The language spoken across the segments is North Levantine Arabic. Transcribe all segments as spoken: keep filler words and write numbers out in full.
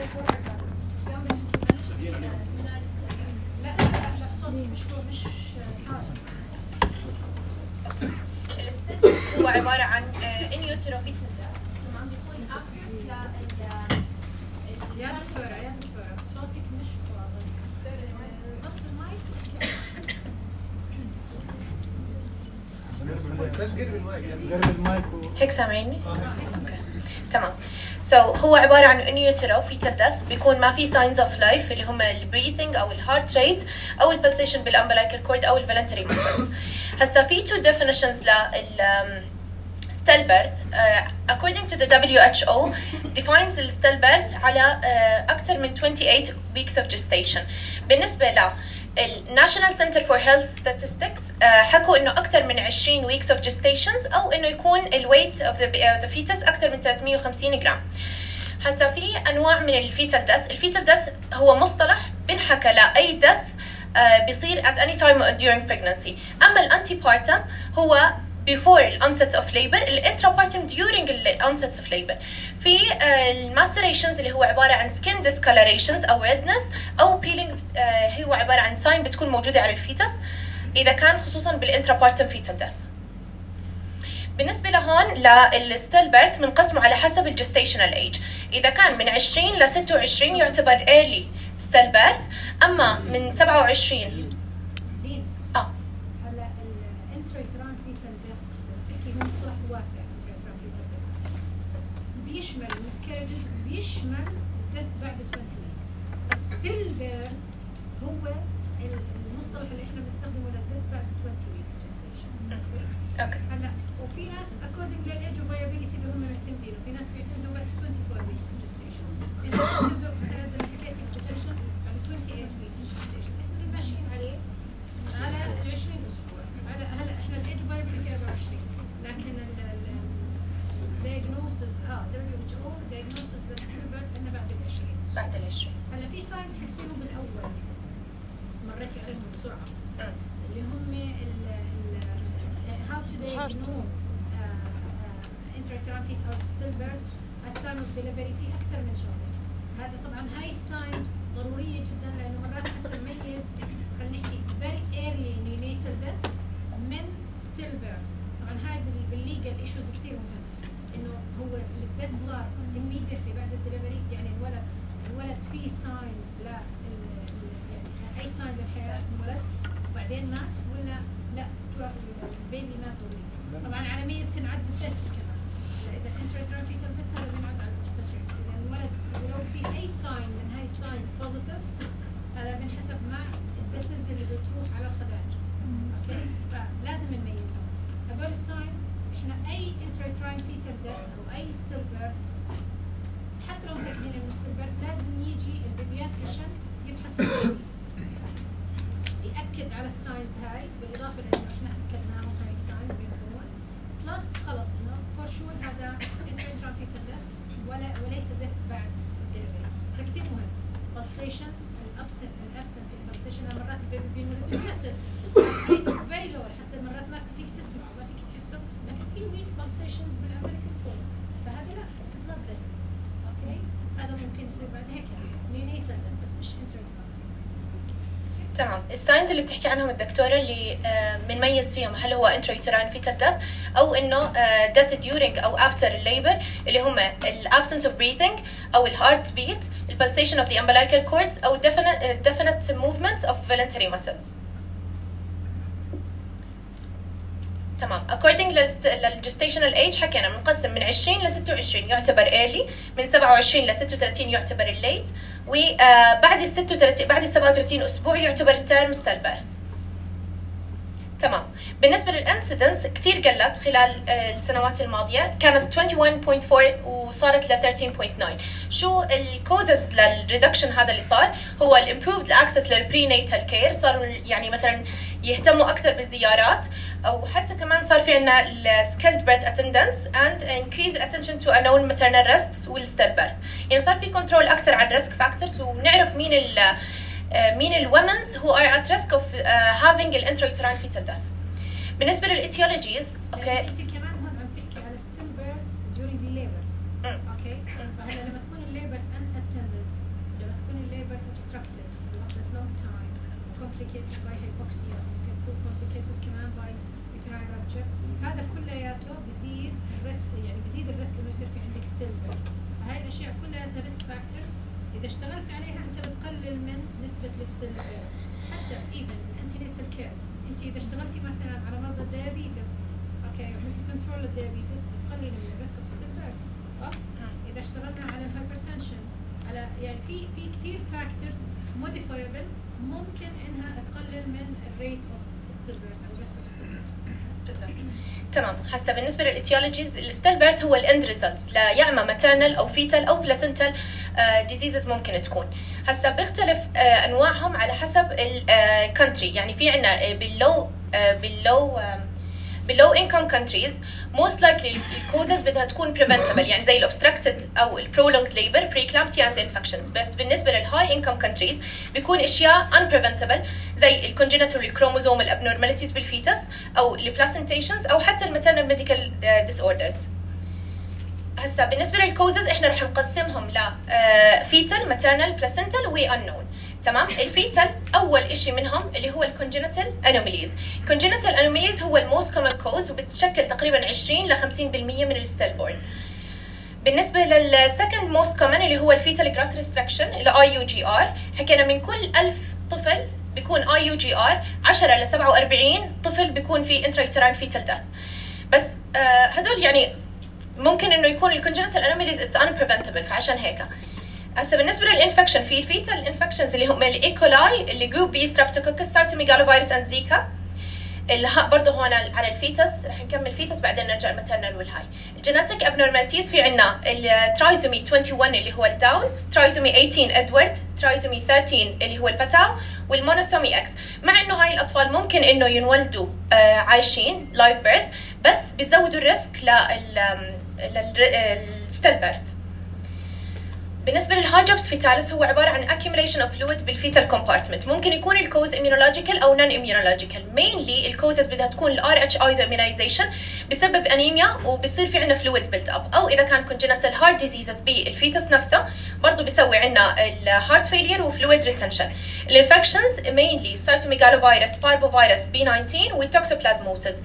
لا لا لا صوتي مش مش الستيل هو عبارة عن ان يوترو فيتال عم بيكون absence ل يا دكتورة يا دكتورة صوتك مش واضح. ضبط المايك. بس قرب المايك قرب المايك هيك سامعيني؟ اوكي تمام. سو so, هو عبارة عن ان يوترو فيتال ديث، بيكون ما في signs of life اللي هم البريثنج او الهارت ريت او البلسيشن بالامبلايكال كورد او الفالنتري مسلز. هسا في two definitions لل stillbirth. uh, according to the W H O defines the stillbirth على uh, أكثر من twenty-eight weeks of gestation. بالنسبة ل National Center for Health Statistics uh, حكوا إنه أكثر من twenty weeks of gestations أو إنه يكون ال weight of the, uh, the fetus أكثر من three hundred fifty جرام. هسا في أنواع من الفيتال death. الفيتال death هو مصطلح بنحكى لأي death uh, بيصير at any time during pregnancy. أما الانتيبارتم هو before the onset of labor, الانترابارتم during the onset of labor. في الماستريشنز اللي هو عبارة عن skin discolorations أو redness أو peeling هو عبارة عن sign بتكون موجودة على الفيتس إذا كان خصوصا بالانترابارتم fetal death. بالنسبة لهون للستيل بيرث بنقسمه على حسب الجستيشنال ايج. إذا كان من عشرين ل ستة وعشرين يعتبر early ستيل بيرث، أما من سبعة وعشرين اه هلا الانتريتران فيتال ديث بتحكي هو مصطلح واسع. الانتريتران فيتال ديث بيشمل المسكرجز بيشمل الديث بعد twenty weeks. ستيل بيرث هو المصطلح اللي احنا بنستخدمه للديث بعد twenty weeks gestation. اوكي. هلا وفي ناس according للايج وفايابيلتي اللي هم معتمدينه، في ناس بيعتمدوا بعد twenty-four weeks of gestation. في ناس بيعتمدوا مثلا زي ما حكيت الديفينيشن بعد twenty-eight weeks of gestation. احنا ماشيين عليه على ال عشرين اسبوع. على هلا احنا الايج فايابيلتي أربعة وعشرين، لكن ال diagnosis اه W H O diagnosis للستيل بيرث انه بعد ال عشرين. بعد ال عشرين. هلا في ساينس حكيتهم بالاول بس مريتي عليهم بسرعه اللي هم ال how to diagnose intrauterine fetal or stillbirth at time of delivery في أكثر من شغلة. هذا طبعا هاي الساينس ضرورية جدا لأنه مرات حتى نميز خلينا نحكي very early neonatal death من stillbirth. طبعا هاي بالليجل ايشوز كثير مهم إنه هو الديث صار immediately بعد الدليفري، يعني الولد الولد في ساين لا يعني أي ساين للحياة الولد وبعدين مات ولا لا البيبي مات اوريدي. طبعا عالميا بتنعد الدث كمان، اذا انتريتران فيتال دث هذا بينعد على الاوبستريكس، اذا الولد ولو في اي ساين من هاي الساينز بوزيتيف هذا بنحسب مع الدثز اللي بتروح على الخداج. اوكي، فلازم نميزهم هدول الساينز. احنا اي انتريتران فيتال دث او اي ستيل بيرث حتى لو متاكدين انه ستيل بيرث لازم يجي البيدياتريشن يفحص البيبي يأكد على الساينز هاي، بالإضافة لأنه إحنا أكدناهم هاي الساينز بيكون بلس خلص إنه فور شور هذا انتريتران فيتال ديث ولا وليس ديث بعد الدليفري. فكتير مهم بالسيشن الأبسن الأبسنس البالسيشن. مرات البيبي بينولد بيكسر فيري لو حتى مرات ما فيك تسمعه ما فيك تحسه، لكن في ويك بالسيشنز بالأمريكان كود، فهذا لا اتس نوت ديث. أوكي، هذا ممكن يصير بعد هيك نينيتال ديث بس مش انتريتران. تمام. الساينز اللي بتحكي عنهم الدكتوره اللي بنميز فيهم هل هو intrauterine fetal death او انه death during او after labor اللي هم ال absence of breathing او ال heart beat, ال pulsation of the umbilical cords او definite definite movements of voluntary muscles. تمام. according للgestational age حكينا بنقسم من عشرين ل ستة وعشرين يعتبر early، من سبعة وعشرين ل ستة وثلاثين يعتبر late، وبعد ال ستة وثلاثين بعد ال سبعة وثلاثين اسبوع يعتبر term stillbirth. تمام. بالنسبه للانسيدنس كثير قلت خلال السنوات الماضيه، كانت واحد وعشرين فاصلة أربعة وصارت ل ثلاثين فاصلة تسعة. شو الكوزز للريدكشن هذا اللي صار؟ هو الامبروفد اكسس للبريناتال كير، صاروا يعني مثلا يهتموا اكثر بالزيارات، او حتى كمان صار في عندنا السكيلد بيرث اتندنس اند انكريز اتنشن تو انون ماترنال ريسكس والستيل بيرث. يعني صار في كنترول اكثر على الريسك فاكتورز، ونعرف مين ال مين الومنز who are at risk of uh, having الانترauterine fetal death. بالنسبه للاتيولوجيز اوكي انت كمان هون عم تحكي على still births during the labor. اوكي، فهلا لما تكون الليبر unattended obstructed واخذت long time complicated by hypoxia ممكن تكون complicated كمان by uterine rupture هذا كلياته بزيد الريسك يعني بزيد الريسك انه يصير في عندك stillbirth فهاي الاشياء كلها ريسك فاكتورز اذا اشتغلت عليها انت بتقلل من نسبه الستillbirth حتى even الانتينيتال كير انت اذا اشتغلتي مثلا على مرضى الديابيتس اوكي وعملتي كنترول للديابيتس بتقلل من الريسك اوف stillbirth صح؟ اذا اشتغلنا على الهايبرتنشن على يعني في في كثير فاكتورز موديفايبل ممكن انها تقلل من الريت اوف stillbirth او الريسك اوف stillbirth تمام. هسه بالنسبه للاتيولوجيز الستيل بيرث هو الاند ريزلتس لا يا اما ماترنال او فيتال او بلاسنتال ديزيزز ممكن تكون. هسه بيختلف uh, انواعهم على حسب الكونتري uh, يعني في عندنا باللو uh, باللو uh, باللو انكم كونتريز most likely الكوزز بدها تكون preventable يعني زي الobstructed او الprolonged labor preeclampsia and infections بس بالنسبه للهاي انكم countries بيكون اشياء unpreventable زي الcongenital chromosomal abnormalities بالفيتس او البلاسنتيشنز او حتى الماترنال ميديكال disorders. هسا بالنسبه للكوزز احنا رح نقسمهم ل fetal maternal placental و unknown. تمام. الفيتال اول إشي منهم اللي هو الكونجنتال انوميليز. الكونجنتال انوميليز هو الموست كومن كوز وبتشكل تقريبا عشرين ل خمسين بالمية من الستيل بورن. بالنسبه للسكند موست كومن اللي هو الفيتال جراث ريستركشن اللي اي يو جي ار حكينا من كل ألف طفل بيكون اي يو جي ار عشرة ل سبعة وأربعين طفل بيكون في انترايترال فيتال ديث. بس آه هدول يعني ممكن انه يكون الكونجنتال انوميليز اتس ان بريفنتبل فعشان هيك. هسه بالنسبه للانفكشن في الفيتال انفكشنز اللي هم الايكولاي اللي جروب بي ستريبتوكوكس سايتوميجالوفيروس اند زيكا برضه هون على الفيتس رح نكمل فيتس بعدين نرجع الماترنال والهاي. الجينيتيك ابنورماليتيز في عندنا الترايزومي واحد وعشرين اللي هو الداون، ترايزومي ثمانية عشر ادوارد، ترايزومي ثلاثة عشر اللي هو الباتاو والمونوسومي اكس. مع انه هاي الاطفال ممكن انه ينولدوا آه عايشين لايف بيرث بس بتزودوا الريسك للستيل بيرث. بالنسبه للهايجوبس فيتاليس هو عباره عن accumulation of fluid بالفيتال compartment. ممكن يكون الكوز immunological او non immunological. mainly الكوزز بدها تكون ال آر إتش immunization بسبب انيميا وبصير في عندنا fluid built up او اذا كان congenital heart diseases بالفيتس نفسه برضه بيسوي عندنا الهارت failure وفلويد retention. الانفكشنز mainly cytomegalovirus parvovirus بي تسعة عشر والتوكسوبلازموسيس.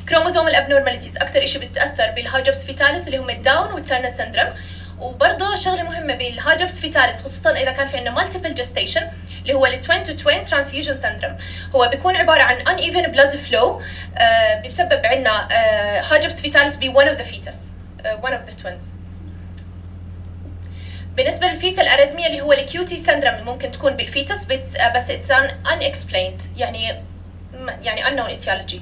chromosomal abnormalities اكثر شيء بتاثر بالهايجوبس فيتاليس اللي هم الداون والترنر سيندروم. وبرضه شغله مهمه بالهايجوبس فيتاليس خصوصا اذا كان في عندنا مالتيبل جستيشن اللي هو التوين تو توين ترانسفيوجن سيندروم. هو بيكون عباره عن uneven blood flow آه بسبب عندنا هايجوبس فيتاليس ب one of the fetus آه one of the twins. بالنسبه للفيتال اريثميا اللي هو الكيوتي سيندروم اللي ممكن تكون بالفيتس بس بس it's unexplained يعني يعني unknown etiology.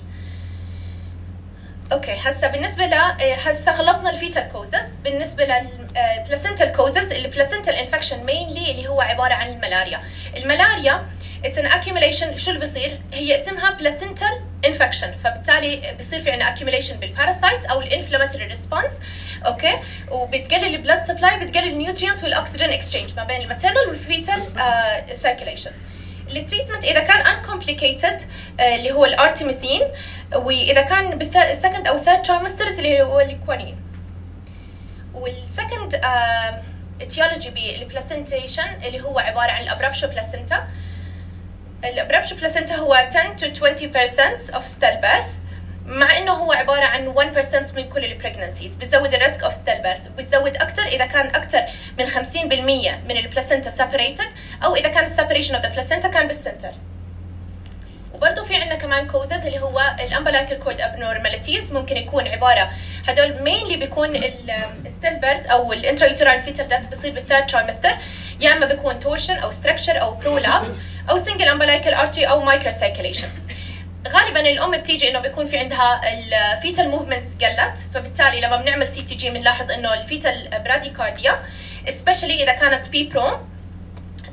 اوكي هسه بالنسبه ل هسه خلصنا الفيتال كوزز. بالنسبه للبلاسنتال كوزز البلاسنتال انفكشن مينلي اللي هو عباره عن الملاريا. الملاريا اتس ان accumulation. شو اللي بصير؟ هي اسمها بلاسنتال انفكشن فبالتالي بصير في عندنا accumulation بالباراسايتس او الانفلاماتوري ريسبونس. اوكي وبتقلل البلاد سبلاي بتقلل النيوترينتس والاكسجين اكسشينج ما بين الماتيرنال والفيتال سيركيليشنز. التريتمنت اذا كان uncomplicated اللي هو الارتيميسين واذا كان بالسكند او ثيرد ترايمسترز اللي هو الكوانين. والسكند اتيولوجي بالبلاسنتيشن اللي هو عباره عن الابرابشو بلاسنتا. الابرابشو بلاسنتا هو عشرة to twenty percent of stillbirth مع انه هو عباره عن one percent من كل البريجنسيز. بتزود الريسك اوف stillbirth بتزود اكثر اذا كان اكثر من خمسين بالمية من البلاسنتا separated او اذا كان السيبريشن اوف ذا بلاسنتا كان بالسنتر. وبرضه في عندنا كمان كوزز اللي هو الامبلايكال كورد ابنورماليتيز ممكن يكون عباره هدول مينلي بيكون الستيل بيرث او الانترايترال فيتال ديث بصير بالثيرد ترايمستر يا اما بيكون تورشن او ستركشر او برولابس او سنجل امبلايكال ارتري او مايكرو سيركيليشن. غالبا الام بتيجي انه بيكون في عندها الفيتال موفمنتس قلت فبالتالي لما بنعمل سي تي جي بنلاحظ انه الفيتال براديكارديا سبيشالي اذا كانت بي برون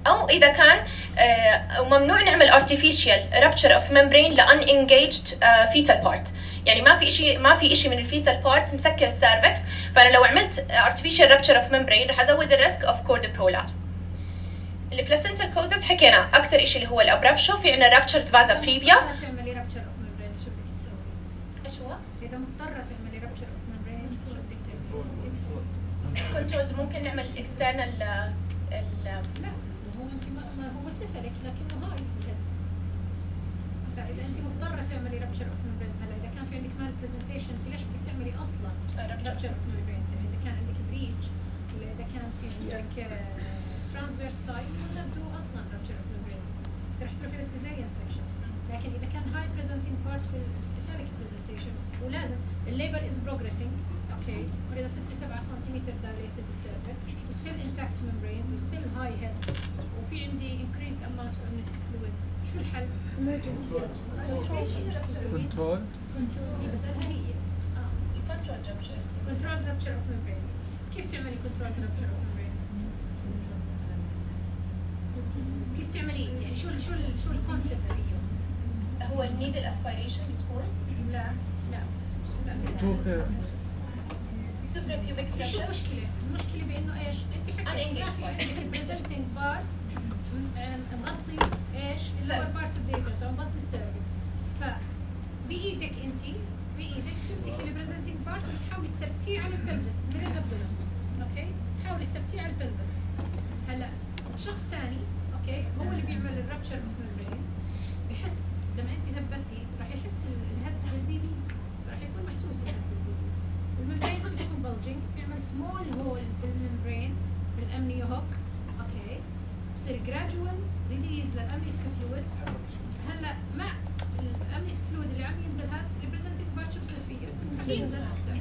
او اذا كان آه وممنوع نعمل artificial rupture of membrane ل unengaged آه fetal part. يعني ما في شيء ما في شيء من الفيتال بارت مسكر السيرفكس فانا لو عملت artificial rupture of membrane رح ازود الريسك اوف كورد برولابس. البلاسنتال كوزز حكينا اكثر شيء اللي هو الابرابشو. في عندنا ruptured vasa previa. تعملي rupture of membrane شو بدك تسوي؟ ايش هو؟ اذا مضطره تعملي rupture of membrane شو بدك تعملي؟ كنترول ممكن نعمل external ال لا هو انت ما هو بس سيفاليك لكنه هاي الهيد. فاذا انت مضطره تعملي رابتشر اوف ميمبرينز، هلا اذا كان في عندك مال برزنتيشن انت ليش بدك تعملي اصلا رابتشر اوف ميمبرينز؟ يعني اذا كان عندك بريتش ولا اذا كان في عندك ترانسفيرس تايب ولا تو اصلا رابتشر اوف ميمبرينز رح تروحي للسيزاريان سكشن. لكن اذا كان هاي بريزنتينج بارت بالسيفاليك برزنتيشن ولازم الليبر از بروجريسنج اوكي، ولذا ستة سبعة سنتيمتر دايليتد السيرفكس وستيل انتاكت ميمبرينز وستيل هاي هيد وفي عندي انكريزد اماونت اوف امنيتيك فلويد، شو الحل؟ كنترول. هي بسألها هي اه الكنترول رابتشر. كنترول رابتشر اوف ميمبرينز. كيف تعملي كنترول رابتشر اوف ميمبرينز؟ كيف تعملي يعني شو ال شو ال شو الكونسبت فيه؟ هو النيدل اسبيريشن بتكون؟ لا لا تو سوبر بيوبيك شو بريشر. المشكلة؟ المشكلة بإنه إيش؟ أنت حكيتي ما في عندك بريزنتينج بارت مغطي إيش؟ اللور بارت أوف ذا يوترس أو مغطي السيرفكس. فبإيدك أنت بإيدك تمسكي البريزنتينج بارت وتحاولي تثبتيه على البلبس من الأبدومن، أوكي؟ تحاولي تثبتيه على البلبس. هلا شخص ثاني أوكي هو اللي بيعمل الرابتشر أوف ميمبرينز بحس لما أنت ثبتي راح يحس الهد بالبيبي راح يكون محسوس الهد بالبيبي. والممبرينز بتكون بلجنج بيعمل سمول هول بالممبرين بالامنيو هوك اوكي، بصير جراجوال ريليز للامنيتيك فلويد. هلا مع الامنيتيك فلويد اللي عم ينزل هذا البريزنتينج بارت شو بصير فيه؟ رح ينزل اكثر.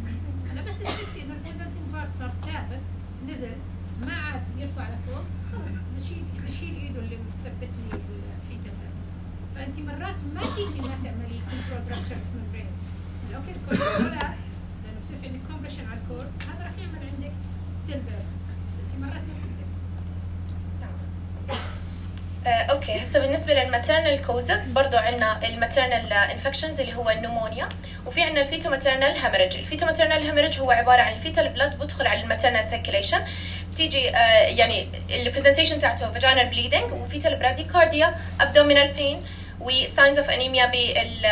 هلا بس تحسي انه البريزنتينج بارت صار ثابت نزل ما عاد يرفع لفوق خلص بشيل بشيل ايده اللي مثبت لي الفيتال هذا. فانت مرات ما فيك انها تعملي كنترول رابتشر اوف ممبرينز. اوكي الكولابس بصير في عندك كومبريشن على الكور هذا راح يعمل عندك ستيل بيرث، بس انت مرات ما بتقدر. آه، اوكي هسه بالنسبه للماتيرنال كوزز برضه عندنا الماتيرنال انفكشنز اللي هو النمونيا، وفي عندنا الفيتو ماتيرنال هيموريج. الفيتو ماتيرنال هيموريج هو عباره عن الفيتال بلاد بدخل على الماتيرنال سيركيليشن، بتيجي آه يعني البرزنتيشن تاعته فاجينال بليدنج وفيتال براديكارديا ابدومينال بين وساينز اوف انيميا بال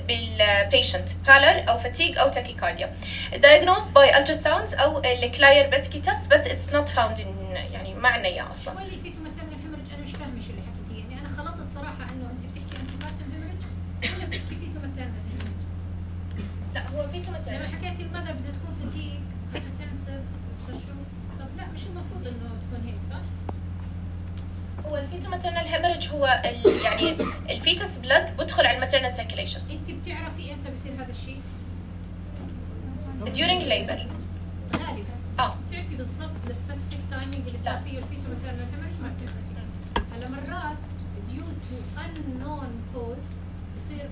بالبيشنت بالر او فاتيج او تاكيكارديا. diagnosed by ultrasounds او الكلاير بيتكي تيست بس it's not found in يعني ما عندنا اياه اصلا. شوي الفيتو ماتيرنال هيموريج انا مش فاهمه شو اللي حكيتيه، يعني انا خلطت صراحه انه انت بتحكي انتي بارتم هيموريج ولا بتحكي فيتو ماتيرنال هيموريج؟ لا هو فيتو لما ماتيرنال حكيتي المذر بدها تكون فاتيج هايبرتنسيف شو، طب لا مش المفروض انه تكون هيك صح؟ هو الفيتو ماتيرنال هيموريج هو ال يعني الفيتس بلاد بدخل على الماتيرنال سيركيليشن. انت بتعرفي امتى بصير هذا الشيء؟ during labor غالبا آه. بس بتعرفي بالضبط السبيسيفيك تايمينج اللي صار فيه الفيتو ماتيرنال هيموريج ما بتعرفي. هلا مرات due to unknown cause بصير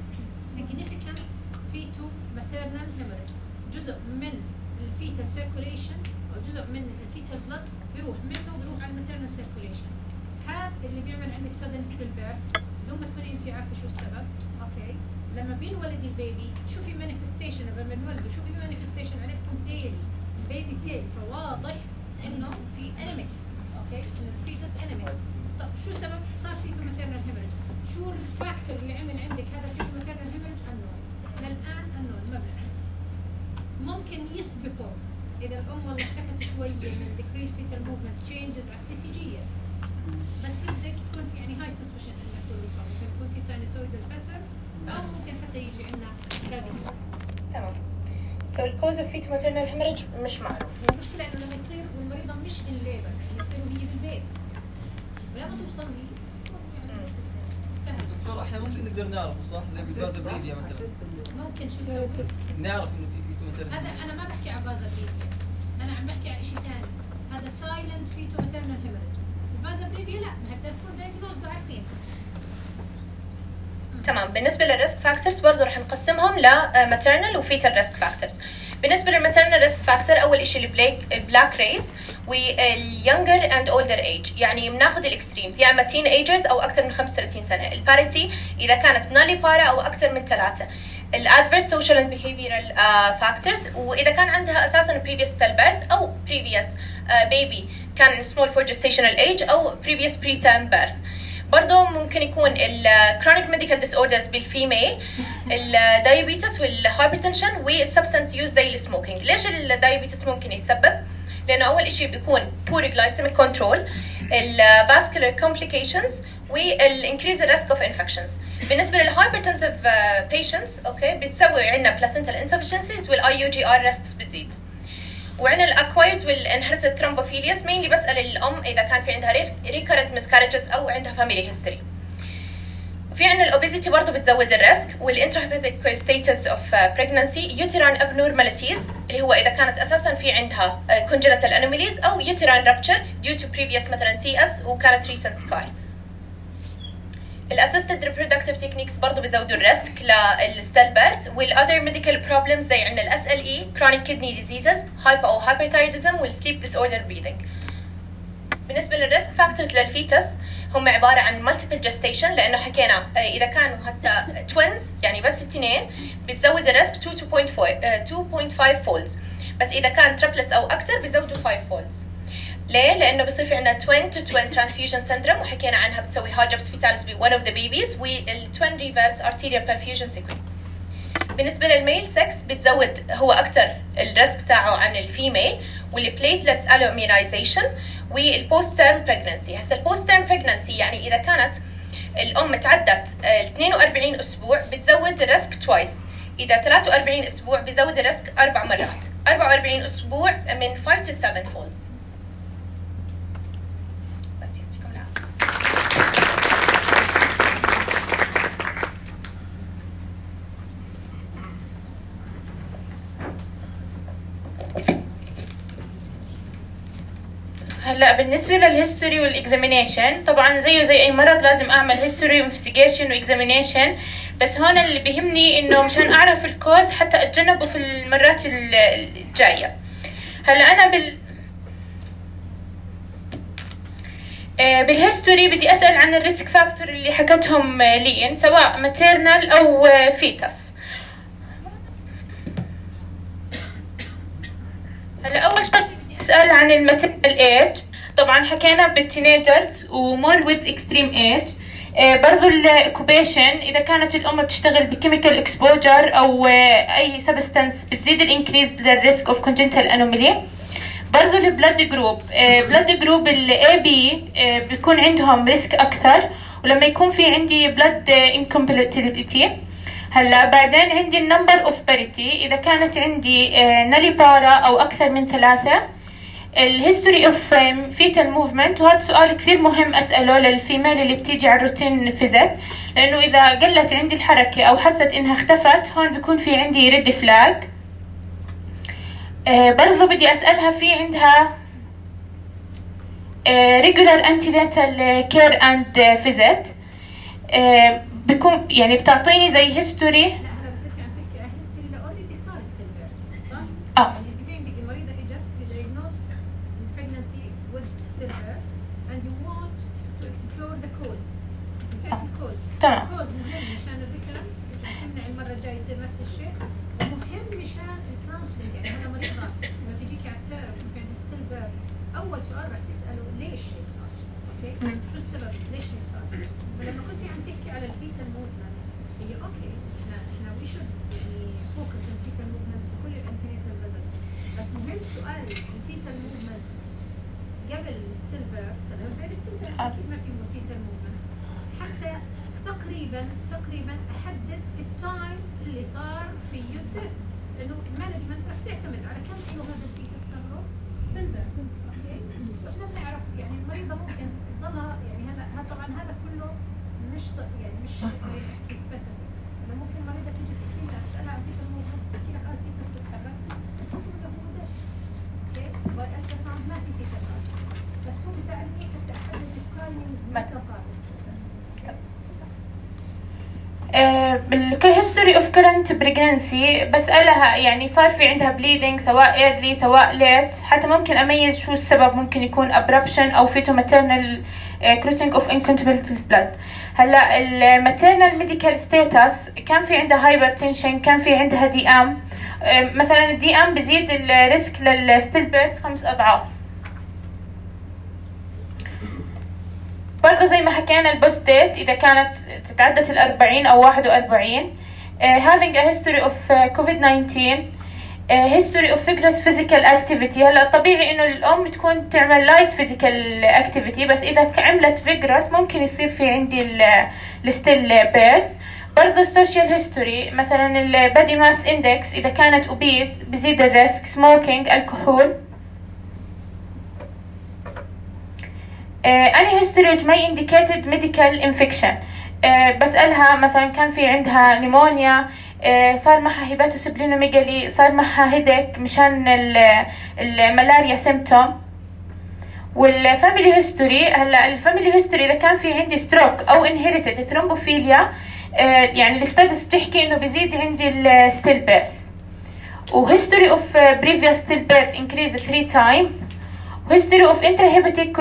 significant feto maternal hemorrhage، جزء من الفيتال سيركوليشن او جزء من الفيتال بلد بيروح منه بيروح على الماتيرنال سيركوليشن. هذا اللي بيعمل عندك sudden still birth بدون ما تكوني انت عارفه شو السبب. اوكي لما بينولد البيبي شوفي مانيفستيشن لما بنولده شوفي مانيفستيشن عليكم بيل بيبي بيل، فواضح انه في انيميك اوكي انه الفيتس انيميك. طب شو سبب صار فيتو ماتيرنال هيموريج؟ شو الفاكتور اللي عمل عندك هذا فيتو ماتيرنال هيموريج؟ انون للان انون ما بنعرف. ممكن يسبقه اذا الام والله اشتكت شويه من decrease fetal movement changes على السي تي جي يس، بس بدك يكون في يعني هاي سسبشن انك تولد ممكن يكون في ساينوسويدال باترن او ممكن حتى يجي عندنا راديو. تمام. سو الكوز اوف فيتو ماتيرنال هيموريج مش معروف. المشكله انه لما يصير والمريضه مش ان ليبر يعني يصير وهي بالبيت ولما توصل لي انتهت. دكتور احنا ممكن نقدر نعرفه صح زي بالفازا بريديا مثلا ممكن شو تسوي؟ نعرف انه في فيتو ماتيرنال. هذا انا ما بحكي على فازا بريديا، انا عم بحكي على شيء ثاني، هذا سايلنت فيتو ماتيرنال هيموريج. الفازا بريديا لا ما هي بدها تكون دايجنوزد وعارفين. تمام. بالنسبه للريسك فاكتورز برضه رح نقسمهم لماتيرنال وفيتال ريسك فاكتورز. بالنسبه للماتيرنال ريسك فاكتور اول شيء البلاك ريس واليونجر اند اولدر ايج، يعني بناخذ الاكستريمز يا اما تين ايجرز او اكثر من خمسة وثلاثين سنه. الباريتي اذا كانت نالي بارا او اكثر من ثلاثه. الادفيرس سوشيال اند بيهيفيرال فاكتورز، واذا كان عندها اساسا بريفيوس تيل بيرث او بريفيوس بيبي كان سمول فور جستيشنال ايج او بريفيوس بري تيرم بيرث. برضه ممكن يكون الكرونيك ميديكال ديس اوردرز بالفيميل، الدايابيتس والهايبرتنشن والسبستانس يوز زي السموكينج. ليش الدايابيتس ممكن يسبب؟ لانه اول شيء بيكون poor glycemic control، الفاسكولار complications والانكريز الريسك اوف انفكشنز. بالنسبه للهايبرتنسيف بيشنتس اوكي بتسوي عندنا بلاسنتال انسفشنسيز والاي يو جي ار ريسكس بتزيد. وعندنا الاكوايرد والانهرتد ثرومبوفيلياس مينلي بسال الام اذا كان في عندها ريكورنت مسكارجز او عندها فاميلي هيستوري. وفي عندنا الاوبيزيتي برضه بتزود الريسك، والانتراهيباتيك ستيتس اوف بريجنسي، يوتران ابنورماليتيز اللي هو اذا كانت اساسا في عندها كونجنتال انوميليز او يوتران رابتشر ديو تو بريفيوس مثلا سي اس وكانت ريسنت سكاي. الاسيستد ريبرودكتيف تكنيكس برضه بيزودوا الريسك للستيل بيرث، والاذر ميديكال بروبلمز زي عندنا الاس ال اي، كرونيك كيدني ديزيزز، هايبو او هايبرثايرودزم، والسليب ديس اوردر بريذنج. بالنسبه للريسك فاكتورز للفيتس هم عباره عن مالتيبل جستيشن، لانه حكينا اذا كانوا هسه توينز يعني بس اثنين بتزود الريسك تو بوينت فايف فولدز، بس اذا كان تريبلتس او اكثر بيزودوا خمسة فولدز. ليه؟ لانه بصير في عندنا توين تو توين ترانسفيوجن سندروم، وحكينا عنها بتسوي هاجبس فيتاليس ب one of the babies، والتوين ريفرس ارتيريال برفيوجن سيكوين. بالنسبه للميل سكس بتزود هو اكثر الريسك تاعه عن الفيميل، والبليتلتس الومينايزيشن، والبوست تيرم بريجنسي. هسه البوست تيرم بريجنسي يعني اذا كانت الام تعدت اثنين وأربعين اسبوع بتزود الريسك توايس، اذا ثلاثة وأربعين اسبوع بزود الريسك اربع مرات، أربعة وأربعين اسبوع من خمسة to سبعة فولدز. بس يعطيكم العافيه. هلا بالنسبه للهيستوري والاكزامينيشن طبعا زيه زي اي مرض لازم اعمل هيستوري وانفستيجيشن واكزامينيشن، بس هون اللي بيهمني انه مشان اعرف الكوز حتى اتجنبه في المرات الجايه. هلا انا بال بالهيستوري بدي اسال عن الريسك فاكتور اللي حكتهم لين، سواء ماتيرنال او فيتس. هلا اول شيء اسال عن الماتيرنال ايج، طبعا حكينا بالتينيجرز ومور ويز اكستريم ايج. برضو الاوكوبيشن اذا كانت الام بتشتغل بكيميكال اكسبوجر او اي سبستانس بتزيد الانكريز للريسك اوف كونجنتال انومالي. برضو البلد جروب، بلد جروب الاي بي بيكون عندهم ريسك اكثر، ولما يكون في عندي بلد انكومباتيبيليتي. هلا بعدين عندي النمبر اوف باريتي، اذا كانت عندي نالي بارا او اكثر من ثلاثه. الهيستوري اوف فيتال موفمنت، وهذا سؤال كثير مهم اساله للفيميل اللي بتيجي على الروتين فيزيت، لانه اذا قلت عندي الحركه او حست انها اختفت هون بيكون في عندي ريد فلاج. آه برضو بدي اسالها في عندها آه regular antenatal care and visit. آه بكون يعني بتعطيني زي هيستوري. لا هلا بس انت عم تحكي عن هيستوري اللي اوريدي صار ستيل بيرث صح؟ اه يعني انت في عندك المريضه اجت diagnosed pregnancy with stillbirth and you want to explore the cause. بتعرف الكوز. تمام. الكوز مهم مشان الريكرنس، اذا تمنع المره الجايه يصير نفس الشيء، ومهم مشان الكونسلنج. يعني انا مريضه لما تجيكي على التيرم وفي عندها stillbirth اول سؤال رح تساله ليش هيك صار؟ اوكي؟ شو السبب؟ ليش هيك صار؟ فلما كنت عم تحكي على الفيتال موفمنت هي اوكي احنا احنا وي شود يعني فوكس on fetal movements في كل الانتينيتال فيزيتس، بس مهم سؤال الفيتال موفمنت قبل ستيل بيرث. لما بين ستيل بيرث اكيد ما في فيتال موفمنت، حتى تقريبا تقريبا احدد التايم اللي صار فيه الدث، لانه المانجمنت رح تعتمد على كم كيلو هذا الفيتال صار ستيل بيرث. اوكي؟ واحنا بنعرف يعني المريضه ممكن تضلها يعني هلا طبعا هذا كله مش يعني مش سبيسيفيك. انا ممكن مريضه تيجي تحكي لها اسالها عن فيتال موفمنت تحكي لك اه فيتس بتتحرك، القسم ده هو ده. اوكي؟ والالترا ساوند ما في فيتال بس هو بيساعدني حتى احدد التايمينج متى صار. بالهيستوري اوف كرنت بريجنسي بسالها يعني صار في عندها بليدنج سواء ايرلي سواء ليت، حتى ممكن اميز شو السبب، ممكن يكون ابربشن او فيتو ماتيرنال كروسنج اوف انكونتبلت بلاد. هلا الماتيرنال ميديكال ستاتس كان في عندها هايبرتنشن، كان في عندها دي ام، مثلا الدي ام بزيد الريسك للستيل بيرث خمس اضعاف. برضه زي ما حكينا البوست ديت اذا كانت تتعدت الأربعين او واحد وأربعين. uh, having a history of uh, كوفيد تسعة عشر. history of vigorous physical activity. هلا طبيعي انه الام تكون تعمل light physical activity، بس اذا عملت vigorous ممكن يصير في عندي ال still birth. برضو social history، مثلا ال body mass index اذا كانت obese بزيد الريسك. smoking، الكحول. uh, any history which may indicated medical infection. uh, بسألها مثلا كان في عندها نيمونيا، صار معها هيباتوسبلينوميجالي، صار معها هيدك مشان الملاريا سيمتوم. والفاميلي هيستوري، هلا الفاميلي هيستوري اذا كان في عندي ستروك او انهيريتد ثرومبوفيليا، يعني الستاتس بتحكي انه بيزيد عندي الستيل بيرث. وهيستوري اوف بريفيوس ستيل بيرث انكريز ثري تايم. وهيستوري اوف انتراهيباتيك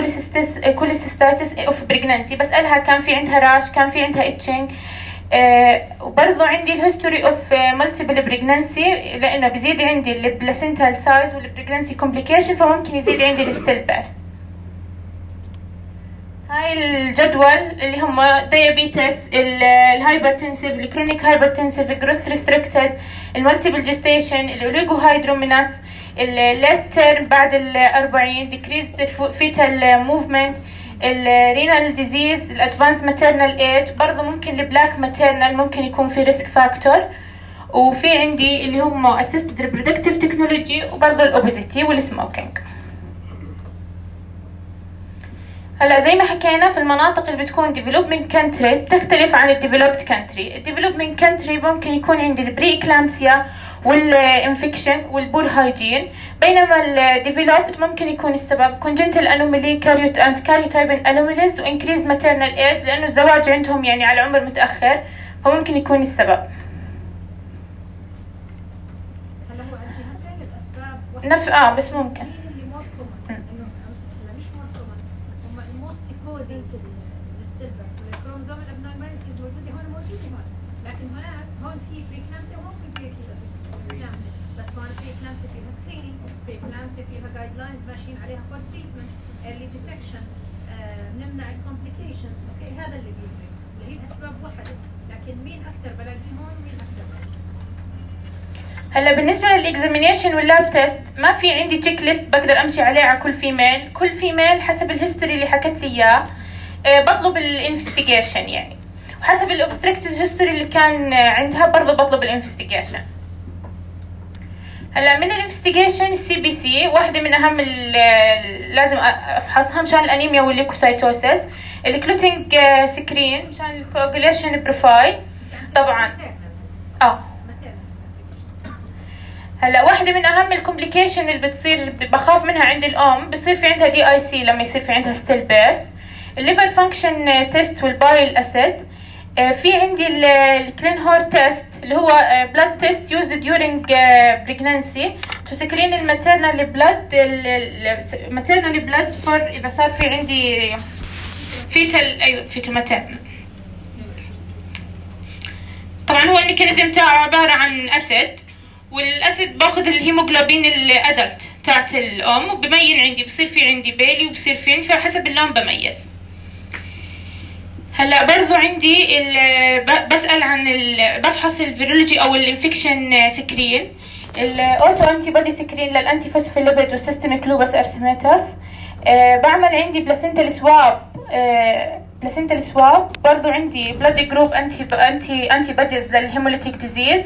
كوليسيستاتس اوف بريجنانسي، بسألها كان في عندها راش، كان في عندها اتشنج. آه وبرضو عندي الهيستوري اوف مالتيبل بريجنانسي، لانه بيزيد عندي البلاسنتال سايز والبريجنانسي كومبليكيشن، فممكن يزيد عندي الستيل بيرث. هاي الجدول اللي هم دايابيتس، الهايبرتنسيف، الكرونيك هايبرتنسيف، الجروث ريستريكتد، المالتيبل جيستيشن، الاوليجو هايدروميناس، الليت تيرم بعد الأربعين، ديكريز فيتال موفمنت، الرينال ديزيز، الادفانس ماتيرنال ايج. برضه ممكن البلاك ماتيرنال ممكن يكون في ريسك فاكتور. وفي عندي اللي هم اسيستد ريبرودكتيف تكنولوجي، وبرضه الاوبيزيتي والسموكينج. هلا زي ما حكينا في المناطق اللي بتكون developing country بتختلف عن الديفلوبد country. الديفلوبينج country ممكن يكون عندي البري اكلامسيا والانفكشن والبور هايجين، بينما الديفلوبد ممكن يكون السبب congenital anomaly carriot and karyotype anomalies و increased maternal age، لانه الزواج عندهم يعني على عمر متاخر، فممكن يكون السبب. هلا هو على الجهتين الاسباب نف اه بس ممكن اللي مور كومن، انه لا مش مور كومن، هم الموست كوزنج للستيلبر والكروموزوم الابنورماليتيز موجوده هون موجوده هون، لكن هناك هون في بريكلامسيا وهون في بريكلامسيا، بس هون بريكلامسيا فيها سكرينينج، بريكلامسيا فيها جايد لاينز ماشيين عليها فور تريتمنت، ايرلي ديتكشن، نمنع الكومبليكيشنز. اوكي هذا اللي بيفرق، اللي هي الاسباب وحده، لكن مين اكثر بلاقي هون ومين اكثر بلاقي. هلا بالنسبه للاكزامينيشن واللاب تيست ما في عندي تشيك ليست بقدر امشي عليه على كل فيميل. كل فيميل حسب الهيستوري اللي حكت لي اياه أه بطلب الانفستيجيشن يعني، وحسب الاوبستراكتيف هيستوري اللي كان عندها برضه بطلب الانفستيجيشن. هلا من الانفستيجيشن السي بي سي واحده من اهم لازم افحصها مشان الانيميا والليكوسايتوسيس، الكلوتينج سكرين مشان الكوagulation بروفايل طبعا. اه هلا واحدة من أهم الكومبليكيشن اللي بتصير بخاف منها عند الأم، بصير في عندها دي اي سي لما يصير في عندها ستيل بيرث، الليفر فانكشن تيست والبايل أسيد. في عندي الكلين هور تيست اللي هو بلاد تيست يوزد during pregnancy to screen الماتيرنال بلاد الماتيرنال بلاد فور إذا صار في عندي فيتال أيوة فيتال ماتيرنال. طبعا هو الميكانيزم تاعه عبارة عن أسيد، والاسيد باخذ الهيموغلوبين الادلت تاعت الام وببين عندي، بصير في عندي بيلي وبصير في عندي، فحسب اللون بميز. هلا برضو عندي بسال عن بفحص الفيرولوجي او الانفكشن سكرين، الاوتو انتي بودي سكرين للانتي فوسفوليبيد والسيستميك لوبس ارثيماتوس. أه بعمل عندي بلاسنتال سواب أه بلاسنتال سواب برضو عندي بلاد جروب انتي انتي انتي بوديز للهيموليتيك ديزيز،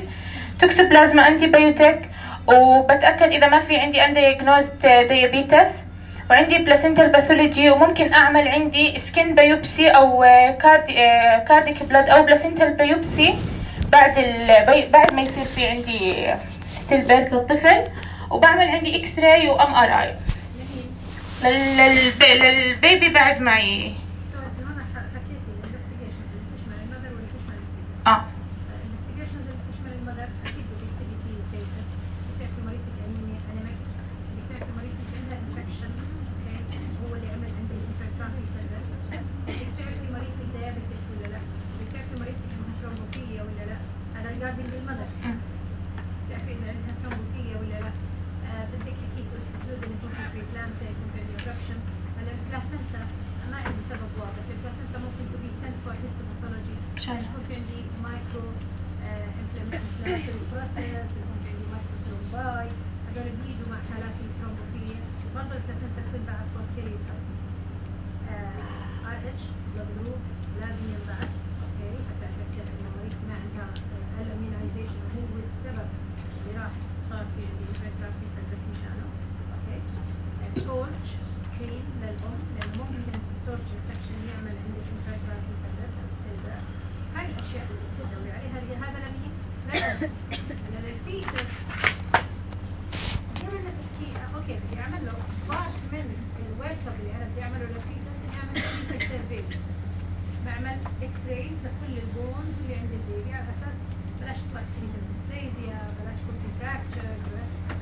توكسوبلازما انتي بايوتيك، وبتاكد اذا ما في عندي اندياجنوزد ديابيتس، وعندي بلاسنتال باثولوجي، وممكن اعمل عندي سكين بايوبسي او كاردي كارديك بلاد او بلاسنتال بايوبسي بعد ال... بعد ما يصير في عندي ستيل بيرث للطفل، وبعمل عندي اكس راي وام ار اي لل... للبيبي بعد ما ي... اه ثرومباي، هذول بيجوا مع حالات الثرومبوفيليا. وبرضه البلاسنتا بتنبعث فور كاريوتايب. ار اتش بلاد جروب لازم ينبعث اوكي حتى اتاكد انه مريضتي ما عندها الاميونايزيشن وهو السبب اللي راح صار في عندي انفكشن في مشانه اوكي. تورش سكرين للام لانه ممكن تورش انفكشن يعمل عندك انفكشن في البلد او ستيلبر. هاي الاشياء اللي بتدوري عليها هذا لمين؟ للام. للفيتس بدي تحكي اوكي بدي اعمل له بارت من الورك اب اللي انا بدي اعمله للفيتس اني اعمل كلينيكال سيرفيلنس. بعمل اكس رايز لكل البونز اللي عند البيبي على اساس بلاش تطلع سكليتال ديسبليزيا، بلاش يكون في فراكتشر.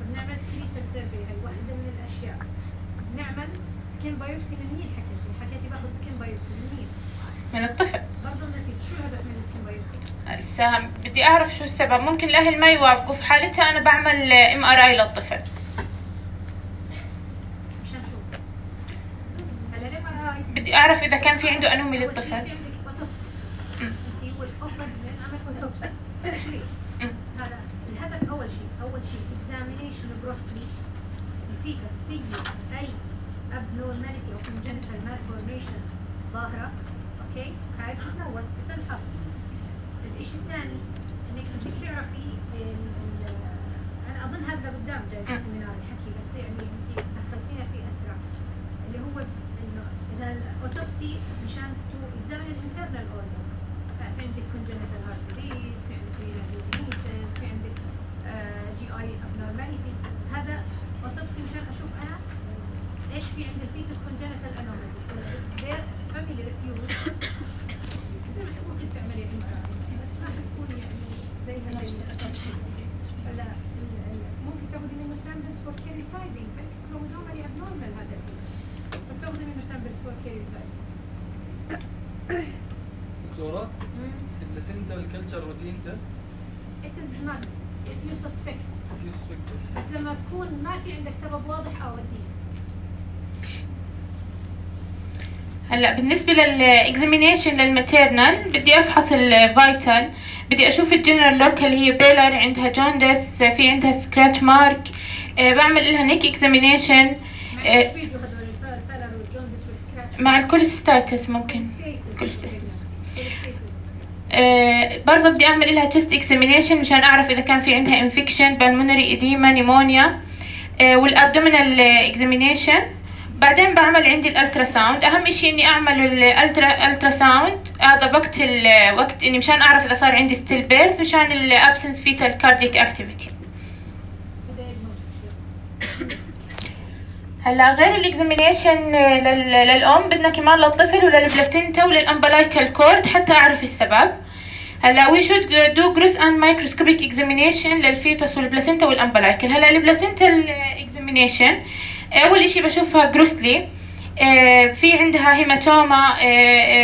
بنعمل سكليتال سيرفي، هي واحده من الاشياء. بنعمل سكين بايوبسي من مين حكيتي؟ حكيتي باخذ سكين بايوبسي من مين؟ من الطفل. برضه النتيجه شو الهدف من السكين بايوبسي؟ هسه بدي اعرف شو السبب. ممكن الاهل ما يوافقوا، في حالتها انا بعمل ام ار اي للطفل مشان شو؟ هلا الام ار اي بدي اعرف اذا كان في عنده انومي أول شيء للطفل. في عندك اوتوبسي. انت هو الافضل من اعمل اوتوبسي تشريح. هذا الهدف. اول شيء اول شيء اكزامينيشن جروسلي الفيتس فيه اي abnormality او congenital malformations ظاهره اوكي. هاي بتتنوع بتنحط. الشيء الثاني انك بدك تعرفي انا اظن هذا قدام جاي بالسيمينار الحكي بس يعني انت دخلتينا فيه اسرع اللي هو انه اذا الاوتوبسي مشان تو اكزامين الانترنال اورجنز. في عندك congenital heart disease، في عندك diabetes، في عندك جي اي abnormalities. هذا اوتوبسي مشان اشوف انا ايش في عند الفيتس congenital anomalies. their family refuse زي ما ممكن تعملي انسان بس ما حتكون يعني زي هذا الاوتوبسي. هلا ممكن تاخذي منه سامبلز فور كاريوتايبنج، بلكي كروموزومالي ابنورمال هذا فبتاخذي منه سامبلز فور كاريوتايبنج. دكتورة البلاسنتا والكلتشر روتين تيست؟ It is not if you suspect. If you suspect. بس لما تكون ما في عندك سبب واضح اوديه. هلا بالنسبه للاكزامينيشن للماتيرنال بدي افحص الفايتال، بدي اشوف الجنرال لوك هل هي بيلر، عندها جوندس، في عندها سكراتش مارك. أه بعمل لها نيك اكزامينيشن أه بيجوا هذول البيلر والجوندس والسكراتش مع الكوليستايتس ممكن كوليستايتس. أه برضه بدي اعمل لها تشست اكزامينيشن مشان اعرف اذا كان في عندها انفكشن بالمونري اديما نيمونيا. أه والابدومينال اكزامينيشن. بعدين بعمل عندي الالترا ساوند. اهم شيء اني اعمل الالترا الترا ساوند هذا وقت الوقت اني مشان اعرف اذا صار عندي ستيل بيرث مشان الابسنس فيتال كارديك اكتيفيتي. هلا غير الاكزامينيشن للام بدنا كمان للطفل وللبلاسينتا وللامبلايكال كورد حتى اعرف السبب. هلا وي شود دو جروس اند مايكروسكوبيك اكزامينيشن للفيتس والبلاسينتا والامبلايكال. هلا البلاسينتا الاكزامينيشن اول اشي بشوفها جروسلي، في عندها هيماتوما،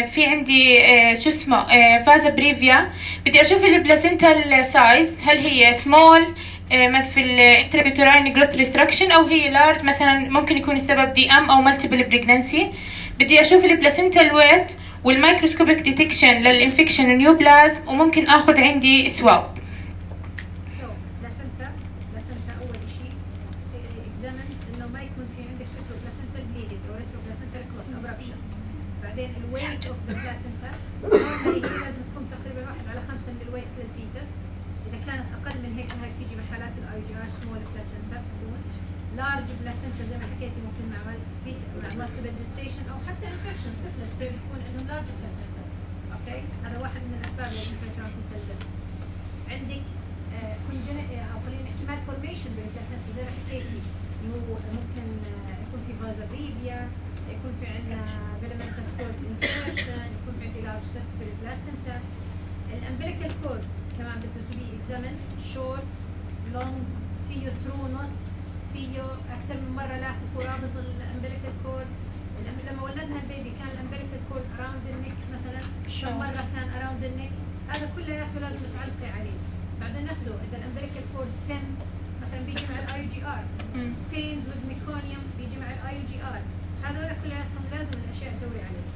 في عندي شو اسمه فازا بريفيا. بدي اشوف البلاسينتا سايز هل هي سمول في الانترابيتوراين جروث ريستركشن او هي لارج مثلا، ممكن يكون السبب دي ام او مالتيبل بريجنانسي. بدي اشوف البلاسينتا الويت والمايكروسكوبيك ديتكشن للانفكشن نيوبلازم، وممكن اخذ عندي سواب. بعدين الويت اوف ذا بلاسنتا نورمالي هي لازم تكون تقريبا واحد على خمسة من الويت للفيتس. اذا كانت اقل من هيك هاي بتيجي بحالات الاي جي ار سمول بلاسنتا تكون. لارج بلاسنتا زي ما حكيتي ممكن نعمل فيت مالتيبل جستيشن او حتى انفكشن سيفلس بيبي تكون عندهم لارج بلاسنتا. اوكي هذا واحد من الاسباب اللي الانفكشن تتلدد. عندك كونجن او خلينا نحكي مالفورميشن بالبلاسنتا زي ما حكيتي اللي هو ممكن يكون في فازا بريفيا، يكون في عندنا فيلامنتس كورد انسيرشن، يكون في عندي لارج سيست بالبلاسنتا. الامبليكال كورد كمان بده تو بي اكزامن شورت لونج، فيه ترو نوت، فيه اكثر من مره لافف ورابط الامبليكال كورد. لما ولدنا البيبي كان الامبليكال كورد اراوند النك مثلا، كم مره كان اراوند النك. هذا كلياته لازم تعلقي عليه. بعدين نفسه اذا الامبليكال كورد ثين مثلا بيجي مع الاي جي ار، ستيند وذ ميكونيوم بيجي مع الاي جي ار. هذول كلياتهم لازم الاشياء تدوري عليها.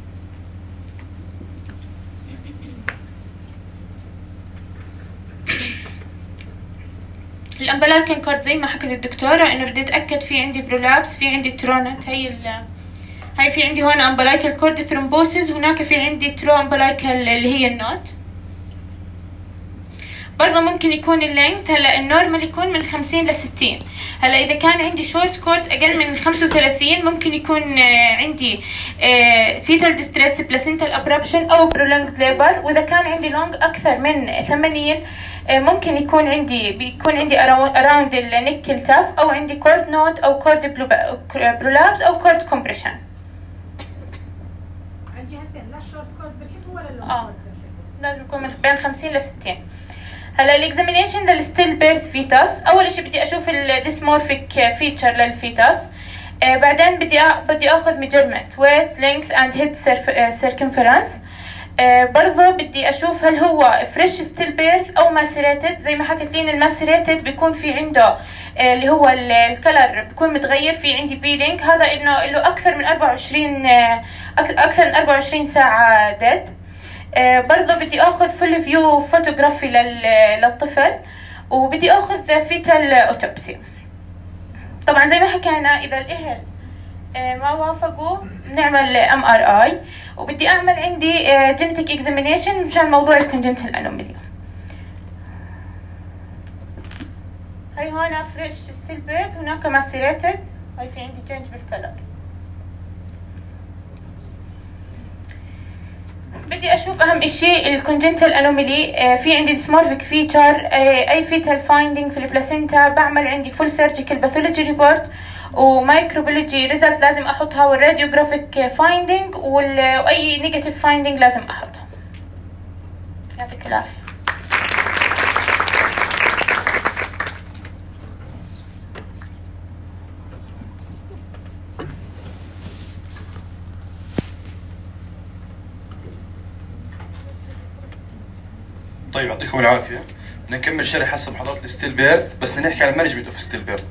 الامبلايكن كورد زي ما حكت الدكتوره انه بدي اتاكد في عندي برولابس، في عندي ترونت، هي ال هاي في عندي هون امبلايكال كورد ثرومبوسيس، هناك في عندي ترو امبلايكال اللي هي النوت. برضه ممكن يكون اللينث، هلا النورمال يكون من خمسين لستين. هلا اذا كان عندي شورت كورد اقل من خمسة وثلاثين ممكن يكون عندي فيتال ديستريس بلاسنتال ابربشن او برولونجد ليبر، واذا كان عندي لونج اكثر من ثمانين ممكن يكون عندي بيكون عندي اراوند النيكل تاف، او عندي كورد نوت او كورد برولابس او كورد كومبريشن. على الجهتين، لا الشورت كورد بنحبه ولا اللونج اه كورد بنحبه. لازم يكون من بين خمسين لستين. هلا الاكزامينيشن للستيل بيرث فيتاس، اول شيء بدي اشوف الديسمورفيك فيتشر للفيتاس، آه بعدين بدي أ... بدي اخذ ميجرمنت ويت لينث اند هيد سيركمفرنس. آه برضه بدي اشوف هل هو فريش ستيل بيرث او ماسيريتد. زي ما حكت لين الماسيريتد بيكون في عنده آه اللي هو الكلر بيكون متغير، في عندي بيلينج، هذا انه له اكثر من أربعة وعشرين آه اكثر من أربعة وعشرين ساعه ديد. آه برضه بدي اخذ فول فيو فوتوغرافي للطفل، وبدي اخذ فيتال اوتوبسي. طبعا زي ما حكينا اذا الاهل آه ما وافقوا بنعمل ام ار اي، وبدي اعمل عندي جينيتيك اكزامينيشن مشان موضوع الكونجنتال انومالي. هاي هون فريش ستيل بيرث، هناك ماسيريتد، هاي في عندي تشينج بالكلر. بدي اشوف اهم شيء الكونجنتال انومالي، في عندي ديسمورفيك فيتشر، اي فيتال فايندينج في البلاسينتا، بعمل عندي فول سيرجيكال باثولوجي ريبورت ومايكروبيولوجي ريزلت لازم احطها، والراديوغرافيك فايندينج واي نيجاتيف فايندينج لازم احطها. يعطيك العافيه. طيب يعطيكم العافيه. بدنا نكمل شرح هسه محاضرات الستيل بيرث، بس بدنا نحكي على المانجمنت اوف ستيل بيرث.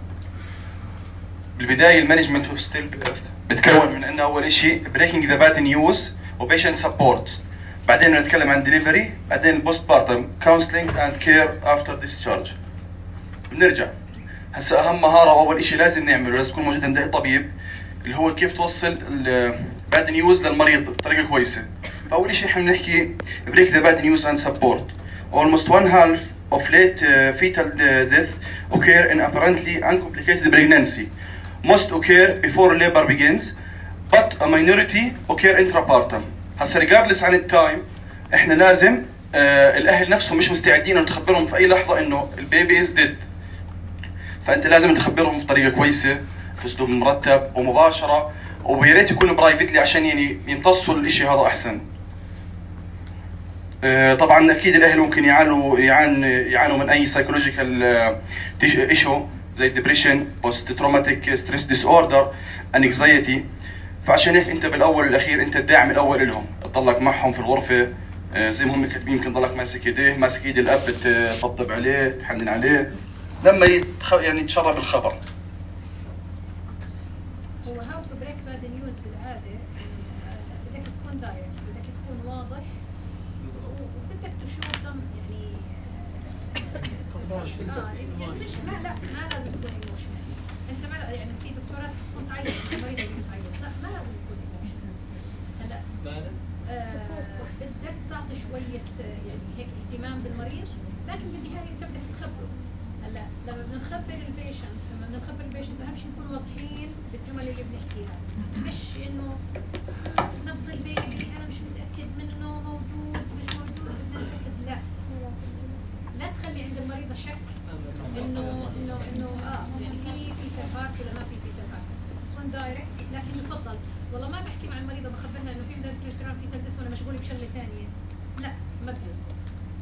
بالبدايه المانجمنت اوف ستيل بيرث بتكون من انه اول شيء بريكنج ذا باد نيوز وبيشنت سبورت، بعدين نتكلم عن ديليفري، بعدين البوست بارتم كونسلينج اند كير افتر ديسشارج. بنرجع هسه اهم مهاره واول شيء لازم نعمله، لازم يكون موجود عند الطبيب، اللي هو كيف توصل الباد نيوز للمريض بطريقه كويسه. فاول شيء احنا بنحكي بريك ذا باد نيوز اند سبورت. Almost one half of late uh, fetal uh, death occur in apparently uncomplicated pregnancy. Most occur before labor begins, but a minority occur intrapartum. هسه regardless عن التايم احنا لازم uh, الاهل نفسهم مش مستعدين انه تخبرهم في اي لحظه انه البيبي از ديد. فانت لازم تخبرهم بطريقه كويسه، في اسلوب مرتب ومباشره، ويا ريت يكونوا برايفتلي عشان يعني يمتصوا الشيء هذا احسن. طبعا اكيد الاهل ممكن يعانوا يعان يعانوا من اي سايكولوجيكال ايشو زي ديبريشن، بوست تروماتيك ستريس ديس اوردر، انكزايتي. فعشان هيك انت بالاول والاخير انت الداعم الاول لهم، تضلك معهم في الغرفه زي ما هم كاتبين، يمكن تضلك ماسك ايديه، ماسك ايد الاب، تطبطب عليه، تحنن عليه لما يتخ... يعني يتشرب بالخبر. هو هاو تو بريك باد نيوز بالعاده بدك تكون دايركت، بدك تكون واضح، وبدك تشوف سم يعني اه يعني مش ما لا ما لازم تكون ايموشنال. انت ما يعني في دكتورات تكون تعيط، مريضه تكون تعيط، لا ما لازم تكون ايموشنال. هلا بدك تعطي شويه يعني هيك اهتمام بالمريض، لكن بالنهايه انت بدك تخبره. هلا لما بنخبر البيشنت لما بنخبر البيشنت اهم شيء نكون واضحين بالجمل اللي بنحكيها، مش انه نبض البيبي انا مش متاكد منه موجود مش موجود بدنا نتاكد، لا لا تخلي عند المريضه شك انه انه انه اه يعني في في تفاعل ولا ما في في تفاعل. كون دايركت، لكن يفضل والله ما بحكي مع المريضه بخبرها انه في مدرب في تلبس وانا مشغوله بشغله ثانيه، لا ما بيزبط.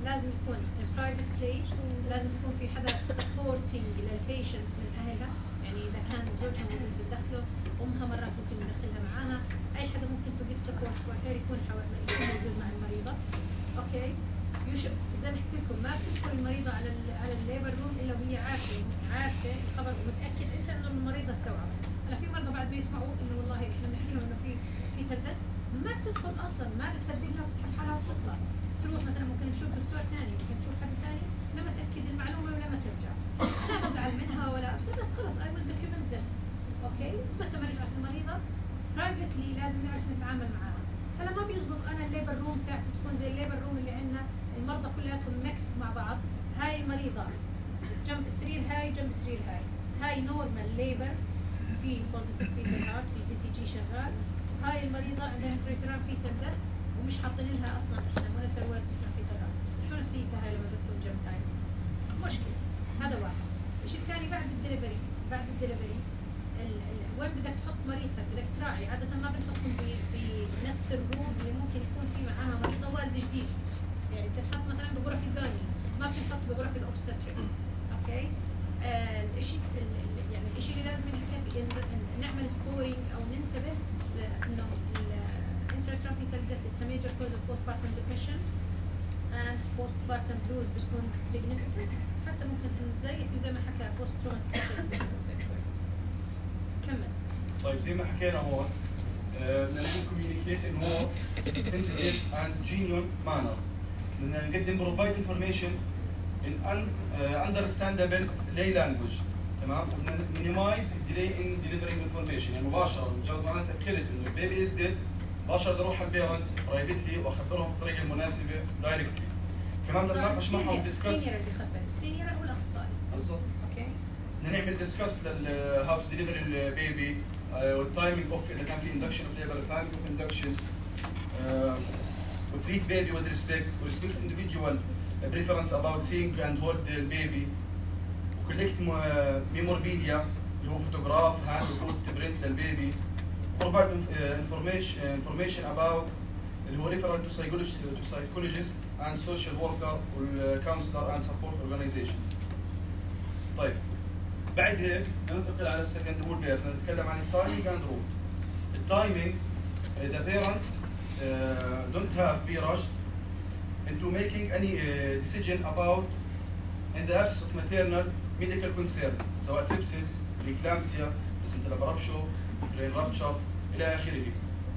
لازم يكون برايفت بليس، لازم يكون في حدا سبورتنج للبيشنت من اهلها، يعني اذا كان زوجها موجود بتدخله، امها مرات ممكن ندخلها معاها، اي حدا ممكن تو جيف سبورت فور هير يكون يكون موجود مع المريضه. اوكي يوش زي ما حكيت لكم ما بتدخل المريضه على ال على الليبر روم الا وهي عارفه عارفه الخبر ومتاكد انت انه المريضه استوعبت. هلا في مرضى بعد بيسمعوا انه والله احنا بنحكي لهم انه في في تلدث، ما بتدخل اصلا، ما بتصدقها، بتسحب حالها وبتطلع تروح مثلا ممكن تشوف دكتور ثاني، ممكن تشوف حد ثاني، لما تاكد المعلومه ولما ترجع لا تزعل منها ولا ابشر بس خلص I will document this اوكي متى ما رجعت المريضه برايفتلي لازم نعرف نتعامل معها. هلا ما بيزبط انا الليبر روم تاعتي تكون زي الليبر روم اللي عندنا المرضى كلياتهم ميكس مع بعض. هاي المريضه جنب السرير هاي جنب السرير هاي هاي نورمال ليبر في بوزيتيف فيتال هارت في سي تي جي شغال. هاي المريضه عندها انتريترال فيتال ديث ومش حاطين لها اصلا احنا مونيتور ولا تسمع فيتال هارت. شو نفسيتها هاي لما بتكون جنب هاي؟ مشكله. هذا واحد. الشيء الثاني بعد الدليفري بعد الدليفري وين بدك تحط مريضتك بدك تراعي. عاده ما بنحطهم في في نفس الروم اللي ممكن يكون في معاها مريضه والده جديد. يعني بتنحط مثلا بغرف الجايني ما بتنحط بغرف الاوبستاتريك. اوكي؟ آه الشيء يعني الشيء اللي لازم نحكي فيه نعمل سكورينج او ننتبه انه الانتراترال فيتال ديث اتس ا ميجر كوز اوف بوست بارتم ديبريشن اند بوست بارتم بلوز بتكون سيجنيفيكانت حتى ممكن تزيد وزي ما حكى بوست تروماتيك. كمل. طيب زي ما حكينا هون بدنا نكون كوميونيكيت ان هو sensitive and genuine manner. بدنا نقدم provide information in un, uh, understandable lay language. تمام؟ وبدنا minimize delay in delivering information. يعني مباشرة مجرد ما انا تاكدت انه البيبي از ديد مباشرة بدي اروح على البيرنتس برايفتلي واخبرهم بالطريقة المناسبة دايركتلي. كمان بدنا نناقش معهم ديسكس السينيور اللي يخبر السينيور هو الاخصائي. بالضبط. اوكي. بدنا نعمل ديسكس لل هاو تو ديليفر البيبي والتايمينج اوف اذا كان في اندكشن اوف ليبر تايمينج اوف اندكشن وتريت بيبي with respect وريسبكت individual preference about seeing and hold the baby وكولكت ميموربيديا اللي هو فوتوغراف هاند وفوت برنت للبيبي provide information information about اللي هو referral to psychologist to psychologist and social worker والcounselor and support organization. طيب بعد هيك ننتقل على السكند رول بيرت نتكلم عن التايمينج اند رول. التايمينج the parent uh, don't have be rushed into making any uh, decision about in the absence of maternal medical concern سواء sepsis, preeclampsia, placental abruptio, brain rupture الى اخره.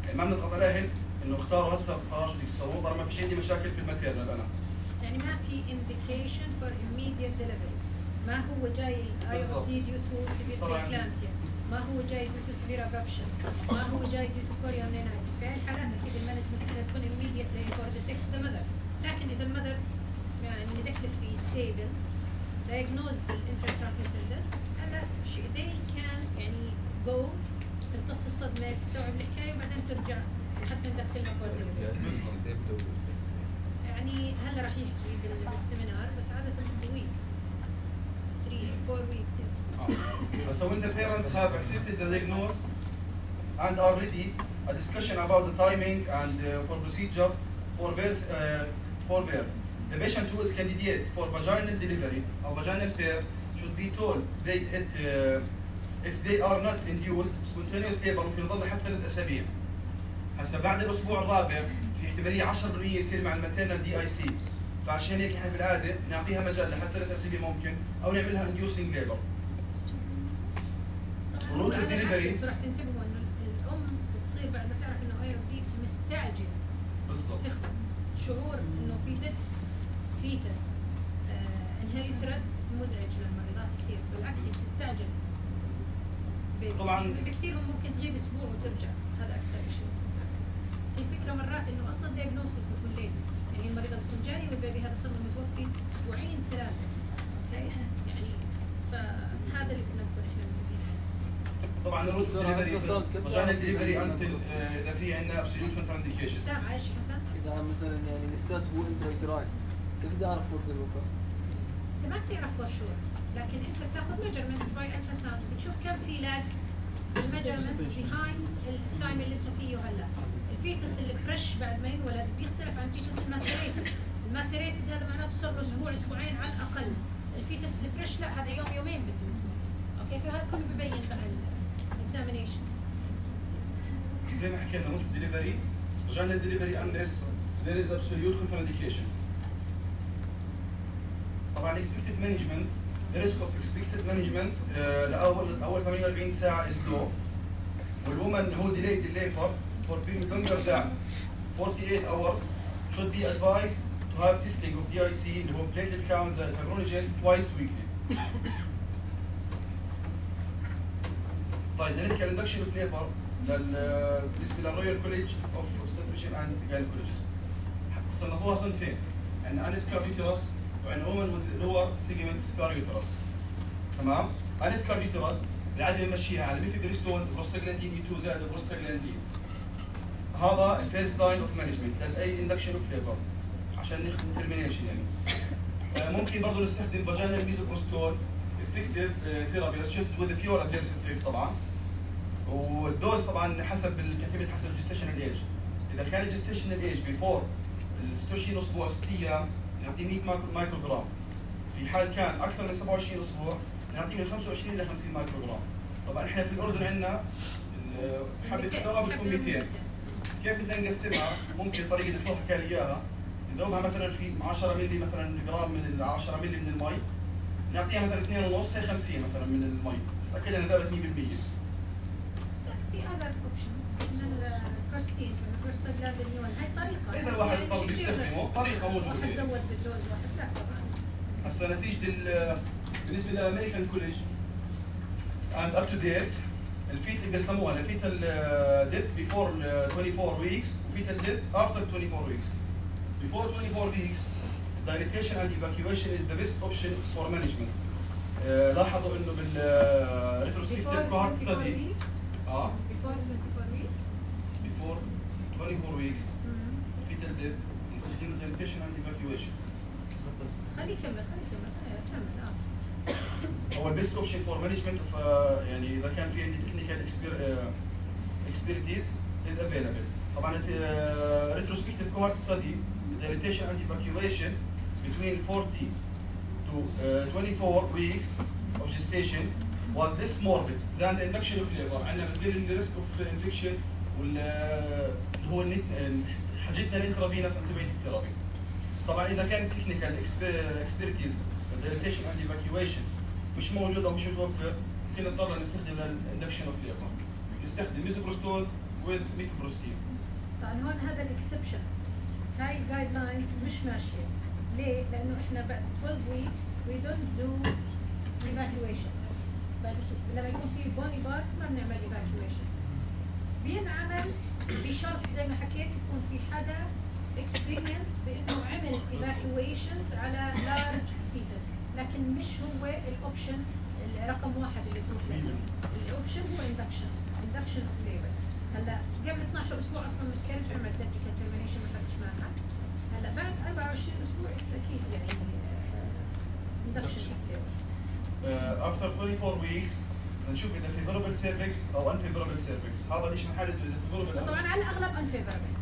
يعني ما بنضغط على الاهل انه اختاروا هسه قرار شو بدك تسووا طالما ما فيش عندي مشاكل في الماتيرنال انا. يعني ما في indication for immediate delivery. ما هو جاي الاي او دي ديو تو سيفير بريكلامسيا، ما هو جاي ديو تو سيفير ابربشن، ما هو جاي ديو تو كوريونينايتس. في هاي الحالات اكيد المانجمنت بدها تكون immediately for the sick the mother. لكن اذا المذر يعني medically free stable diagnosed بالانتراترال فيتال ديث هلا شيء they can يعني go تمتص الصدمه تستوعب الحكايه وبعدين ترجع حتى ندخلها فور يعني هلا راح يحكي بالسيمينار بس عاده بويكس three four weeks yes. So when the parents have accepted the diagnosis and are ready, a discussion about the timing and uh, for procedure for birth uh, for birth. The patient who is candidate for vaginal delivery or vaginal care should be told they it, uh, if they are not induced spontaneous labor ممكن يضل حتى ثلاث اسابيع. هسا بعد الاسبوع الرابع في احتماليه عشرة بالمية يصير مع الماتيرنال دي اي سي. فعشان هيك احنا بالعاده نعطيها مجال لحتى ثلاث اسابيع ممكن او نعملها انديوسنج ليبر. روت الدليفري انتوا رح تنتبهوا انه الام بتصير بعد ما تعرف انه اي او دي مستعجل بالضبط تخلص شعور انه في ديد فيتس انهيريترس مزعج للمريضات كثير بالعكس هي تستعجل طبعا كثير ممكن تغيب اسبوع وترجع هذا اكثر شيء. بس الفكره مرات انه اصلا الدياجنوستس بيكون ليت يعني المريضه بتكون جايه والبيبي هذا صار له متوفي اسبوعين ثلاثه اوكي يعني فهذا اللي بدنا نكون احنا منتبهين عليه. طبعا الروت دليفري رجعنا الدليفري انتل اذا في عندنا ابسوليوت كونتر انديكيشن. سامع ايش حسن؟ اذا مثلا يعني لساته هو انترا كيف بدي اعرف وقت الوفاه؟ انت ما بتعرف فور شور لكن انت بتاخذ ميجرمنتس باي الترا ساوند بتشوف كم في لاج الميجرمنتس بيهايند التايم اللي انت فيه هلا. الفيتس اللي فريش بعد ما ينولد بيختلف عن فيتس الماسيريتد. الماسيريتد هذا معناته صار له اسبوع اسبوعين على الاقل. الفيتس اللي فريش لا هذا يوم يومين بده. اوكي فهذا كله ببين بقى الاكزامينيشن. زي ما حكينا روت ديليفري رجعنا الدليفري unless there is absolute contraindication. طبعا expected management the risk of expected management uh, لاول اول ثمانية وأربعين ساعه is low. والwoman who delayed the labor for period longer than forty-eight hours should be advised to to have testing of دي آي سي اللي هو platelet count زائد fibrinogen twice weekly. طيب نحكي induction of labor لل بالنسبه للرويال كوليج اوف اوبستريشن اند جاينيكولوجيست. صنفوها صنفين، عندنا انسكار يوترس وعندنا اومن لور سيجمنت سكار يوترس. تمام؟ انسكار يوترس العاده بنمشيها على ميفيبريستون بروستاجلاندين اي اثنين زائد بروستاجلاندين. هذا الفيرست لاين اوف مانجمنت لاي اندكشن اوف ليبر عشان ناخذ ديترمينيشن يعني. ممكن برضه نستخدم فاجينال ميزوبروستول افكتيف ثيرابي بس شفت وذ فيور ادفيرس افكت طبعا. والدوز طبعا حسب الكاتبه حسب الجستيشنال ايج. اذا كان الجستيشنال ايج بيفور ال ستة وعشرين اسبوع ست ايام نعطيه مية مايكرو جرام. في حال كان اكثر من سبعة وعشرين اسبوع نعطيه من خمسة وعشرين الى خمسين مايكرو جرام. طبعا احنا في الاردن عندنا حبه الدواء بتكون مئتين. كيف بدنا نقسمها؟ ممكن طريقه الدكتور حكى لي اياها، نذوبها مثلا في عشرة مللي مثلا جرام من ال عشرة مللي من المي، نعطيها مثلا اثنين ونص هي خمسين مثلا من المي، تتاكد انها ذابت مية بالمية. في اذر اوبشن من البروستين من البروستاجلاندين هاي طريقه. اذا الواحد اضطر يستخدمه طريقه موجوده. واحد زود بالدوز واحد لا طبعا. هسه نتيجه بالنسبه للامريكان كوليج اند اب تو ديت الفيت قسموها لفيتال ديث بيفور أربعة وعشرين ويكس وفيتال ديث افتر أربعة وعشرين ويكس. Before أربعة وعشرين weeks, dilatation and evacuation is the best option for management. Uh, لاحظوا انه بال uh, retrospective cohort study. اه. Before twenty-four weeks. Before twenty-four weeks. fetal death نستخدم dilatation and evacuation. خليه يكمل خليه يكمل كمل اه. هو البيست اوبشن فور مانجمنت اوف يعني اذا كان في عندي تكنيكال expertise is available. طبعا retrospective cohort study dilatation and evacuation between forty to twenty-four weeks of gestation was less morbid than the induction of labor. عندنا بتقلل الريسك اوف انفكشن وال هو حاجتنا الانترافينوس انتيبيوتيك ثيرابي. طبعا اذا كان تكنيكال اكسبيرتيز dilatation and evacuation مش موجود او مش متوفر ممكن نضطر نستخدم الاندكشن اوف ليبر. نستخدم ميزوبروستول with ميفبروستين. طبعا هون هذا الاكسبشن. هاي الجايد لاينز مش ماشيه. ليه؟ لانه احنا بعد twelve weeks we don't do evacuation. بعد لما يكون في بوني بارتس ما بنعمل evacuation. بينعمل بشرط زي ما حكيت يكون في حدا experienced بانه عمل evacuations على large fetus، لكن مش هو الاوبشن رقم واحد اللي تروح له. الاوبشن هو induction، induction of labor. هلا قبل اثنعش اسبوع اصلا مسكرج عمل سيرجيكال ترمينيشن ما خدش معها. هلا بعد أربعة وعشرين اسبوع اكيد يعني induction of labor. after twenty-four weeks نشوف اذا favorable cervix او unfavorable cervix. هذا ليش بنحدد اذا favorable. طبعا على الاغلب unfavorable.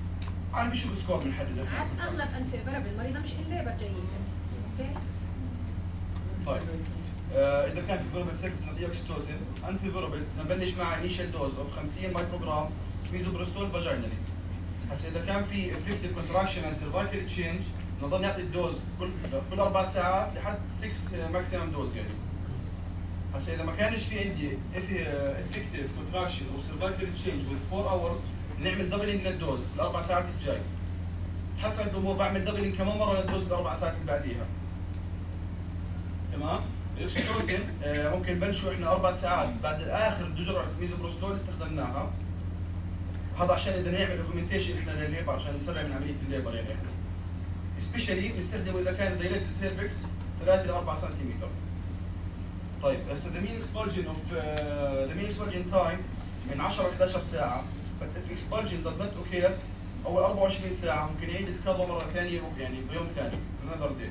عم بشوف سكور بنحدد. على الاغلب unfavorable، المريضه مش الليبر جيده. اوكي؟ طيب آه اذا كان favorable cervix نعطيه اوكسيتوسين، unfavorable نبلش مع initial dose of خمسين مايكرو جرام ميزوبروستول فاجينالي. هسه اذا كان في effective contraction and cervical change نضل نعطي الدوز كل كل اربع ساعات لحد ستة ماكسيمم دوز يعني. هسه اذا ما كانش في عندي effective contraction or cervical change with four hours نعمل دبلنج للدوز الاربع ساعات الجاي. تحسن الامور بعمل دبلنج كمان مره للدوز بالاربع ساعات اللي بعديها. تمام؟ الاكسيتوسين آه ممكن نبلشوا احنا اربع ساعات بعد اخر جرعه ميزوبروستول استخدمناها. هذا عشان اذا نعمل اوجمنتيشن احنا للليبر عشان نسرع من عمليه الليبر يعني احنا. سبيشالي بنستخدمه اذا كان دايليتد سيرفكس ثلاثة إلى أربعة سنتيمتر. طيب هسه the mean expulsion of uh, the mean expulsion time من عشرة إلى إحدى عشرة ساعه. but if expulsion does not occur اول أربعة وعشرين ساعه ممكن يعيد الكرة مره ثانيه يعني بيوم ثاني another day.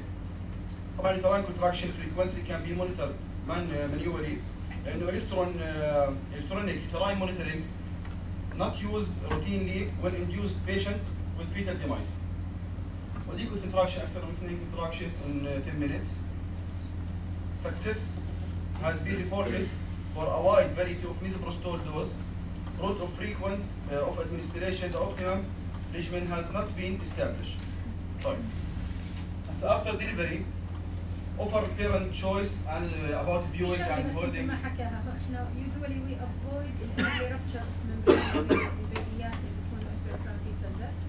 طبعا uterine contraction frequency can be monitored manually لانه الكترون electronic uterine monitoring not used routinely when induced patient with fetal demise. وديكو contraction اكثر من اثنين contraction in ten minutes. Success has been reported for a wide variety of misoprostol dose. Route of frequent uh, of administration the optimum regimen has not been established. طيب. So after delivery offer parent choice and uh, about viewing and holding. ما حكاها احنا usually we avoid the early rupture of membrane البيبيات اللي بيكونوا intrauterine fetal death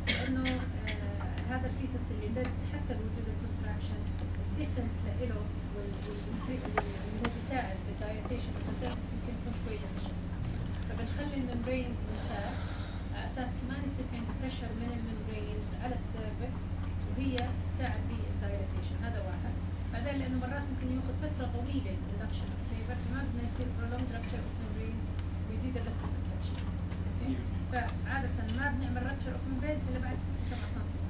لانه هذا هذا الفيتس اللي دد حتى بوجود الكونتراكشن الديسنت له اللي هو بيساعد بالدايليتيشن والسيرفكس يمكن يكون شوي ديفيشنت، فبنخلي الممبرينز انتاكت على اساس كمان يصير في عندي بريشر من الممبرينز على السيرفكس وهي تساعد في الدايليتيشن. هذا واحد. بعدين لانه مرات ممكن ياخذ فتره طويله ريدكشن اوف فيبر، فما بدنا يصير prolonged rupture of membranes ويزيد الريسك اوف انفكشن. اوكي؟ فعاده ما بنعمل rupture of membranes الا بعد ستة سبعة سنتيمتر.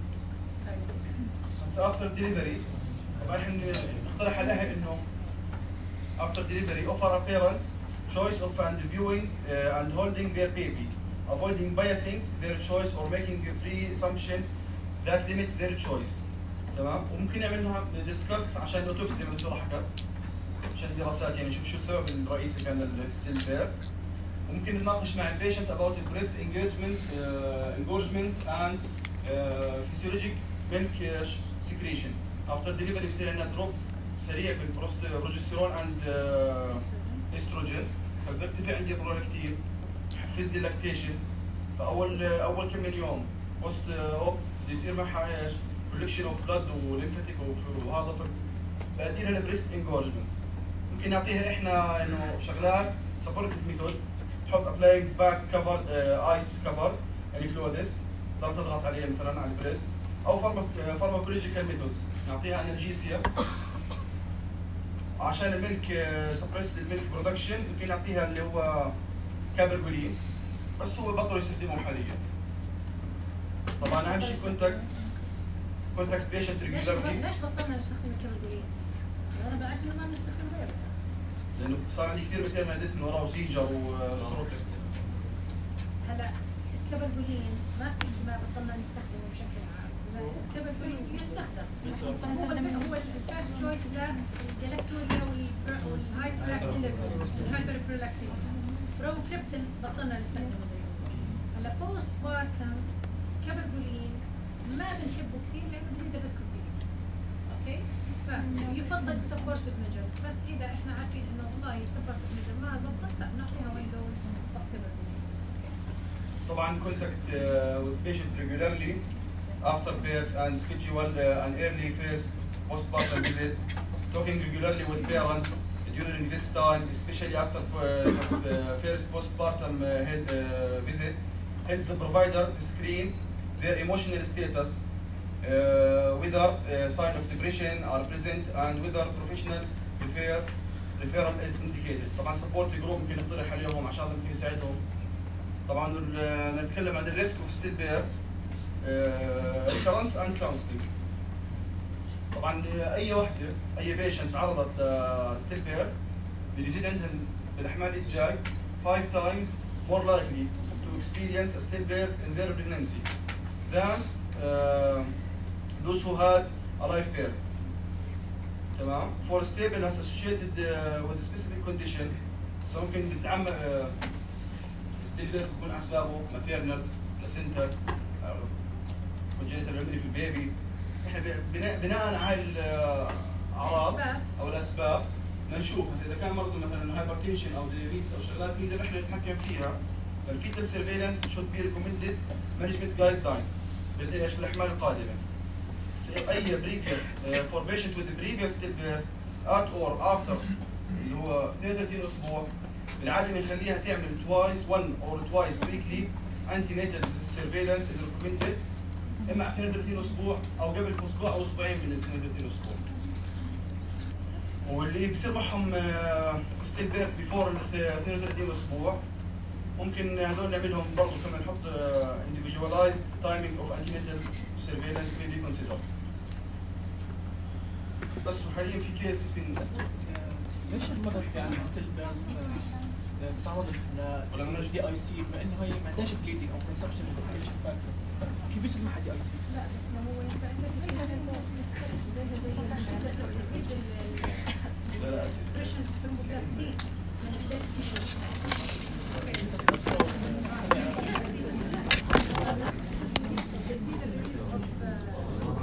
هسا افتر ديليفري طبعا احنا نقترح على الاهل انه after delivery offer a parents choice of and viewing uh, and holding their baby, avoiding biasing their choice or making a pre-assumption that limits their choice. تمام؟ وممكن نعملها ديسكس عشان الاوتوبسي زي ما الدكتوره حكت، عشان دراسات يعني نشوف شو السبب الرئيسي كان للستيل بير. وممكن نناقش مع البيشنت about the breast engagement uh, engorgement and uh, physiologic milk uh, secretion. after delivery بصير عندنا دروب سريع بالبروجستيرون اند استروجين، فبيرتفع عندي البرولاكتين، بحفز لي اللاكتيشن. فاول اول كم من يوم بوست اوب بده يصير معها ايش؟ كولكشن اوف بلاد وليمفاتيك وهذا، فبأدي لها البريست انجورجمنت. ممكن نعطيها احنا انه شغلات سبورتيف ميثود، تحط ابلاينج باك كفر ايس كفر يعني كلودس تضل تضغط عليها مثلا على البريست، او فارماكولوجيكال ميثودز نعطيها انالجيسيا عشان الميلك سبريس الميلك برودكشن. ممكن نعطيها اللي هو كابرجولين بس هو بطلوا يستخدموه حاليا. طبعا اهم شيء كونتاكت كونتاكت بيشنت ريجولارلي. ليش بطلنا نستخدم الكابرجولين؟ انا بعرف انه ما بنستخدم غيره. لانه صار عندي كثير مثير ديث من وراه وسيجر وستروك. هلا الكابرجولين ما ما بطلنا نستخدمه بشكل عام. الكابرجولين يستخدم. هو الفيرست تشويس للجلاكتوريا والهاي برولاكتين الهايبر برولاكتين. بروكريبتين بطلنا نستخدمه. هلا بوست بارتم كابرجولين ما بنحبه كثير لانه بزيد الريسك اوف ديابيتس. اوكي؟ فيفضل السبورتيف ميجرز، بس اذا احنا عارفين انه والله السبورتيف ميجر ما زبطت لا نعطيها ويندوز اوف كابرجولين. طبعا contact uh, with patient regularly after birth and schedule uh, an early first postpartum visit. Talking regularly with parents during this time, especially after uh, the first postpartum uh, health, uh, visit, help the provider to screen their emotional status, uh, whether uh, sign of depression are present and whether professional refer, referral is indicated. طبعا support group ممكن نقترح عليهم عشان ممكن يساعدهم. طبعا نتكلم عن الريسك اوف ستيل بير ريكرنس اند كونسلنج. طبعا اي وحده اي بيشنت تعرضت لستيل بير بده يزيد عندها بالاحمال الجاي five times more likely to experience a stillbirth in their pregnancy than uh, those who had a live birth. تمام؟ For stable has associated uh, with a specific condition. So ممكن نتعمق uh, ستيل بيكون اسبابه ماتيرنال بلاسنتا كونجنتال ميموري في البيبي. احنا بناء بناء على الاعراض او الاسباب بدنا نشوف اذا كان مرض مثلا هايبرتنشن او ديابيتس او شغلات نقدر احنا نتحكم فيها. الفيتال سيرفيلانس شود بي ريكومندد مانجمنت جايد لاين بالايش بالاحمال القادمه. اي بريفيوس فور بيشنت وذ بريفيوس ستيل بيرث ات اور افتر اللي هو اثنين وثلاثين اسبوع بالعاده بنخليها تعمل twice one or twice weekly antenatal surveillance is recommended اما اثنين وثلاثين اسبوع او قبل اسبوع او اسبوعين من اثنين وثلاثين اسبوع. واللي بصير معهم ستيل بيرث بيفور اثنين وثلاثين اسبوع ممكن هذول نعملهم برضه كمان نحط individualized timing of antenatal surveillance may be considered. بس وحاليا في كيس يمكن ليش المرض يعني ستيل بتعرض ل دي اي سي بما انه هي ما عندهاش بليدنج او كونسبشن كيف بيصير معها دي اي سي؟ لا بس ما هو ينفع عندك